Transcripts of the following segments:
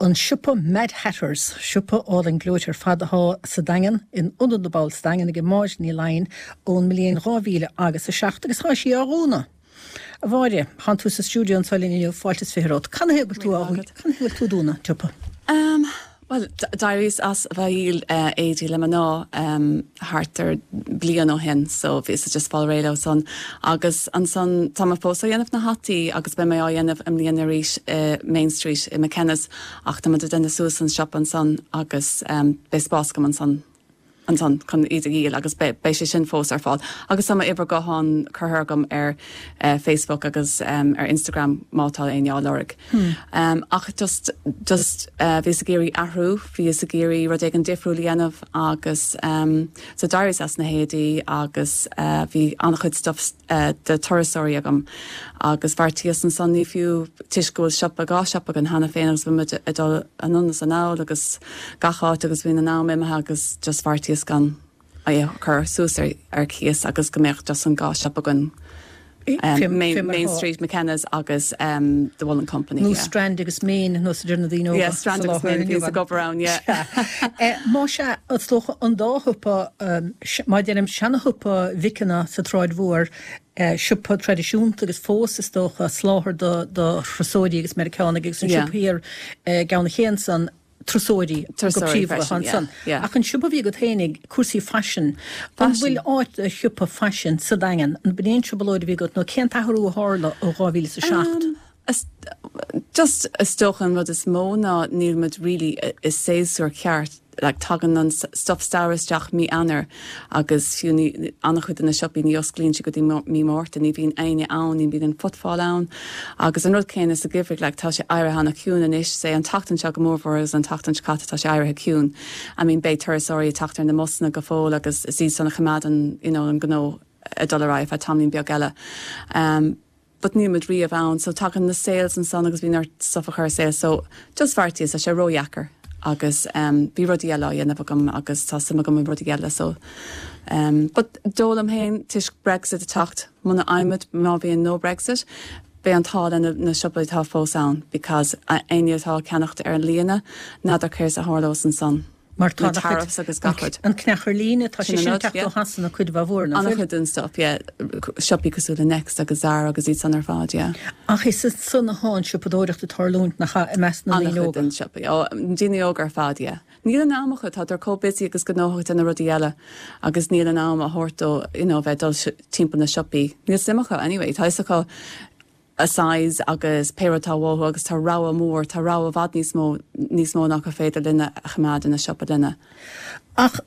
An siopa Mad Hatters, siopa álainn gleoite ar fad athá sa Daingean, in Ionad na bPobal sa Daingean aige Máire Ní Laighin ón mbliain 2000 agus 7 agus thá sí á dhúnadh. A Mháire, thánn tú sa stiúideo anseo linn inniu, fáilte is 20 romhat. Canathaobh go bhfuil tú á canathaobh go bhfuil tú ag dúnadh an tsiopa? Bhuel, d'éiríos as a bheith ag díol éadaí le mná thart ar bliain ó shin so bhíos just fáil réidh leo san agus ansan tá mé fós á dhéanamh na hataí agus beidh mé á dhéanamh i mbliana arís i Main Street i McKenna's ach tá muid ag déanamh suas an siopa ansan agus beidh spás agam ansan ansan chun iad a dhíol agus beidh sé sin fós ar fáil. Agus tá m'uimhir gutháin curtha agam ar Facebook agus ar Instagram má tá éinne á lorg. Ach just, just bhíos ag iarraidh athrú, bhíos ag iarraidh rud éigin difriúil a dhéanamh agus so d'éiríos as na héadaí agus bhí an-chuid stuff de turasóirí agam agus bheartaíos ansan ní fiú toisc go bhfuil siopa, 2 siopa againn cheana féin agus bhí muid ag dul anonn is anall agus gach áit agus bhí an am imithe agus just bheartaíos gan é a chur suas ar ar cíos agus go mbeadh just an 2 siopa againn Main, Main Street, McKenna's agus um, The Woollen Company. Nó yeah. Strand agus Main nó a deir na daoine óga. Yeah, Strand agus Main bhíos ag obair ann, yeah. Má sea, is dócha an dá shiopa Má deirim seana-shiopa McKenna sa tSráid Mhór, siopa traidisiúnta agus fós, is dócha, soláthar do thurasóirí agus Meiriceánaigh agus an siopa thiar i gCeann an Ché ansan, turasóirí go príomha atá ansan. Ach an siopa a bhí agat féinig, cúrsaí faisin, an bhfuil áit do shiopa faisin sa Daingean? An b'in é an trioblóid a bhí agat nó cén t-athrú a tharla ó 2007? Just is dócha an rud is mó ná níl muid really i séasúr ceart, like tagann an stuff samhraidh isteach mí Eanáir agus fiú ní, an-chuid de na siopaí ní osclaíonn siad go dtí mí Márta, ní bhíonn éinne ann, ní bhíonn an footfall ann agus an rud céanna sa gheimhreadh, like tá sé éirithe an-chiúin anois, say an tseachtain seo go mórmhór agus an tseachtain seo caite tá sé éirithe ciúin. I mean beidh turasóirí ag teacht ar na mbusanna go fóill agus is iad san a choimeádann you know an gnó ag dul ar aghaidh feadh tamaillín beag eile. But níl muid riamh ann so tagann na sales ansan agus bíonn ort stuff a chur ar sale so just bheartaíos tá sé ródheacair agus um bhí rudaí eile á dhéanamh agam agus tá suim agam i rudaí eile so um but dóigh liom féin toisc Brexit ag teacht muna fhaighimid má bhíonn no Brexit beidh an t-ádh le na, na siopaí atá fós ann because éinne atá ag ceannacht ar an líne n'fheadar céard a tharlós ansan. Mar tá na tariffs agus gach rud. An cneach ar líne, tá sé sin ag teacht ó Shasana cuid mhaith mhór, nach bhfuil? An-chuid den stuff, yeah. Siopaí cosúil le Next agus Zara agus iad san ar fad, yeah. Ach is ansan atá an siopadóireacht ag tarlúint, nach ea, i measc na ndaoine óga? An-chuid den siopaí, ó, daoine óga ar fad, yeah. Níl an am acu, tádar chomh busy agus gnóthach ag déanamh rudaí eile agus níl an am a thabhairt dó, you know, bheith ag dul timpeall na siopaí. Níl suim acu anyway, tá fhios acu a size agus pé rud atá uathu agus tá rogha mór, tá rogha i bhfad níos mó, níos mó ná gur féidir linne a choimeád ina siopa linne. Ach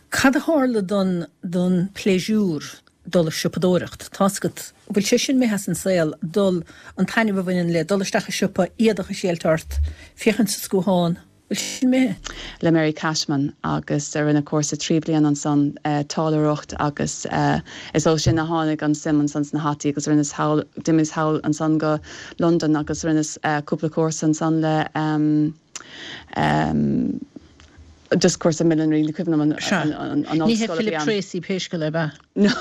cad a tharla don, don pléisiúr dul ag siopadóireacht? Tá's agat, bhfuil sé sin imithe as an saol, dul, an taitneamh a bhaineann le dul isteach i siopa, éadach a thriailt ort, féachaint sa scuathán, Bhfuil sin imithe? le Mary Cashman agus rinne cúrsa 3 bliana ansan, táilliúireacht agus is ó sin a tháinig an suim ansan sna hataí agus rinneas thall, d'imíos thall ansan go Londain agus rinneas cúpla cúrsa ansan le just cúrsa millinery, ní cuimhin liom an Sea. an Ní hé ollscoil a bhí Philip ann. Treacy pé scéal é, ab ea? No,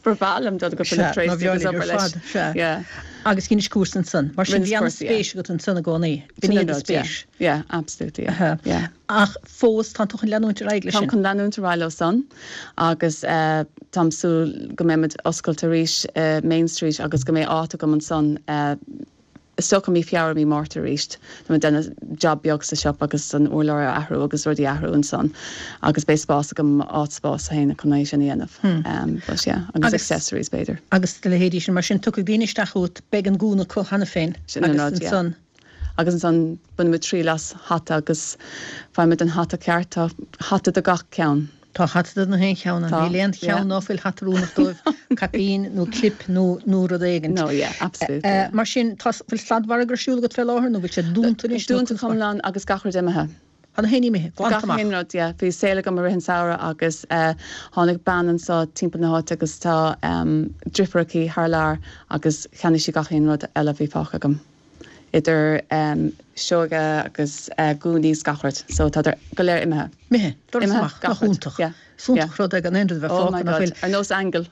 ba bhreá liom dul go Philip Sea, ná Treacy agus obair leis. Sea. Yeah. Agus dheinis cúrsa ansan. Mar sin Rinneas bhí cúrsa, yeah. an-spéis agat ansan i gcónaí. B'in í do spéis. Yeah, absolutely, yeah. Yeah. Ach fós, tánn tú chun leanúint ar aghaidh leis sin? Táim chun leanúint ar aghaidh leo san agus táim súil go mbeidh muid oscailte arís i Main Street agus go mbeidh áit agam ansan is dócha mí Feabhra, mí Márta arís. Tá mé ag déanamh job beag sa siopa agus an urlár a athrú agus rudaí a athrú ansan agus beidh spás agam, áit spás féin chun é sin a dhéanamh. But yeah, agus accessories b'fhéidir. Agus a leithéidí sin. Mar sin, tiocfaidh daoine isteach chugat, beidh an gúna acu cheana féin Sin an agus rud, yeah. ansan. Agus ansan bainimid triail as hata agus faighimid an hata ceart. Tá hata do gach ceann. Tá hata do na haon cheann ann. Tá, Níl aon yeah. cheann ná fuil hata oiriúnach dóibh, caipín nó clip nó nó rud éigint. No, yeah, absolutely, yeah. Mar sin, tá, bhfuil sladmhargadh ar siúl agat fé láthair nó bhfuil sé dúnta anois nó Dúnta go hiomlán agus gach rud imithe. Tá na haon ní imithe, glanta Gach amach. aon rud, yeah. Bhí sale agam i rith an samhradh agus eh tháinig bean anso timpeall na háite agus tá em driofúr aici thar lear agus cheannaigh sí gach aon rud eile a bhí fágtha agam. Idir em sióga agus eh gúnaí is gach rud. So tádar go léir imithe. Imithe, doras Imithe, amach, gach nach rud. iontach. Yeah. Is iontach rud é gan aon rud a bheith Oh my fágtha nach God, bhfuil. ar nós aingeal.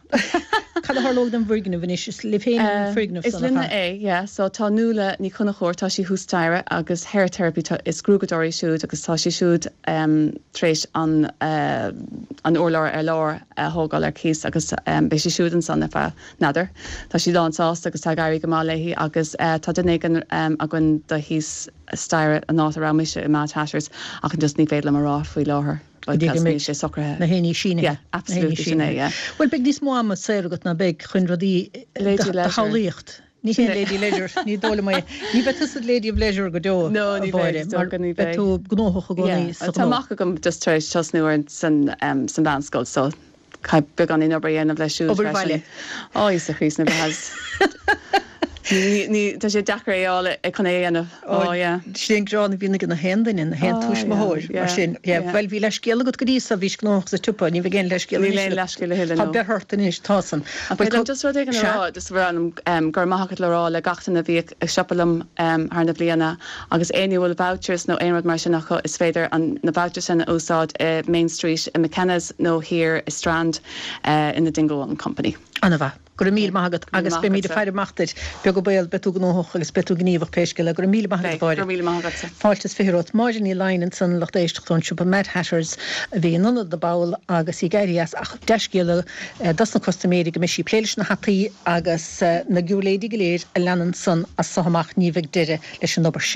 Cad. Cad a tharlóidh don bhfoirgneamh anois? Is libh féin an foirgneamh Is san, nach linne ea? é, yeah. So tá Nuala Ní Chonchúir, tá sí thuas staighre agus Hair Therapy, tá, is gruaigeadóir í siúd agus tá sí siúd tar éis an an urlár ar lár a thógáil ar cíos agus beidh sí siúd ansan ar feadh, n'fheadar. Tá sí lán sásta agus tá ag éirí go maith léi agus tá duine éigin againn do thíos staighre an áit a raibh mise i Mad Hatters ach just ní féidir liom a rá faoi láthair Go dtí go because níl mbeidh sé socraithe. na haon ní sínithe. Yeah, Na haon ní absolutely sin é, sínithe. yeah. Bhuel beidh níos mó ama saor agat ná beidh chun rudaí Lady do Leisure. shamhlaíocht. Ní haon Lady Leisure, ní dóigh liom é. Ní bheidh tusa Lady of Leisure go deo, No, a ní Mháire, bheidh, is mar dócha, ní beidh bheidh. tú gnóthach i gcónaí Yeah, sa tá ghnó. mac agam just tar éis tosnú ar san san mheánscoil so Caithfidh beagáinín obair a dhéanamh leis siúd Obair freisin. bhaile. Ó, Íosa Chríost na bhFlaitheas. Ní, ní, tá sé deacair é a fháil chun é a dhéanamh. Ó, yeah. Sin an gearán a bhíonn ag na haon duine, na haon Ó, yeah, tuismitheoir, mar yeah, sin. Yeah, yeah. bhuel, bhí leithscéal agat go dtí so, bhís gnóthach sa tsiopa, ní bheidh aon leithscéal Níl anois aon agat. leithscéal a thuilleadh, Tá no. breith ort anois, tá san. Ach Bhuel, féidir liom just rud éigin a sea. rá, just ba bhreá liom go raibh maith agat le rá le gach duine a bhí ag siopadh liom thar na bliana agus éinne a bhfuil vouchers nó aon rud mar sin acu is féidir an na vouchers sin a úsáid i Main Street i McKenna's nó thiar i Strand in the Dingle Woollen Company. Ana-mhaith. Go raibh míle maith agat Go raibh agus maith beimid ag agatsa. faire amach duit. Beag an baol, beidh tú gnóthach agus beidh tú gníomhach pé scéal é. Go raibh míle maith agat, a Beidh. Go Mháire. raibh míle maith agatsa. Fáilte is fiche romhat. Máire Ní Laighin ansan, lucht éisteachta ón siopa Mad Hatters a bhí in Ionad na bPoll agus í ag éirí as ach dea-scéala dos na custaiméirí go mbeidh sí ag plé leis na hataí agus na giúirléidí go léir a leanann san as so amach ní bheidh deireadh leis an obair sin.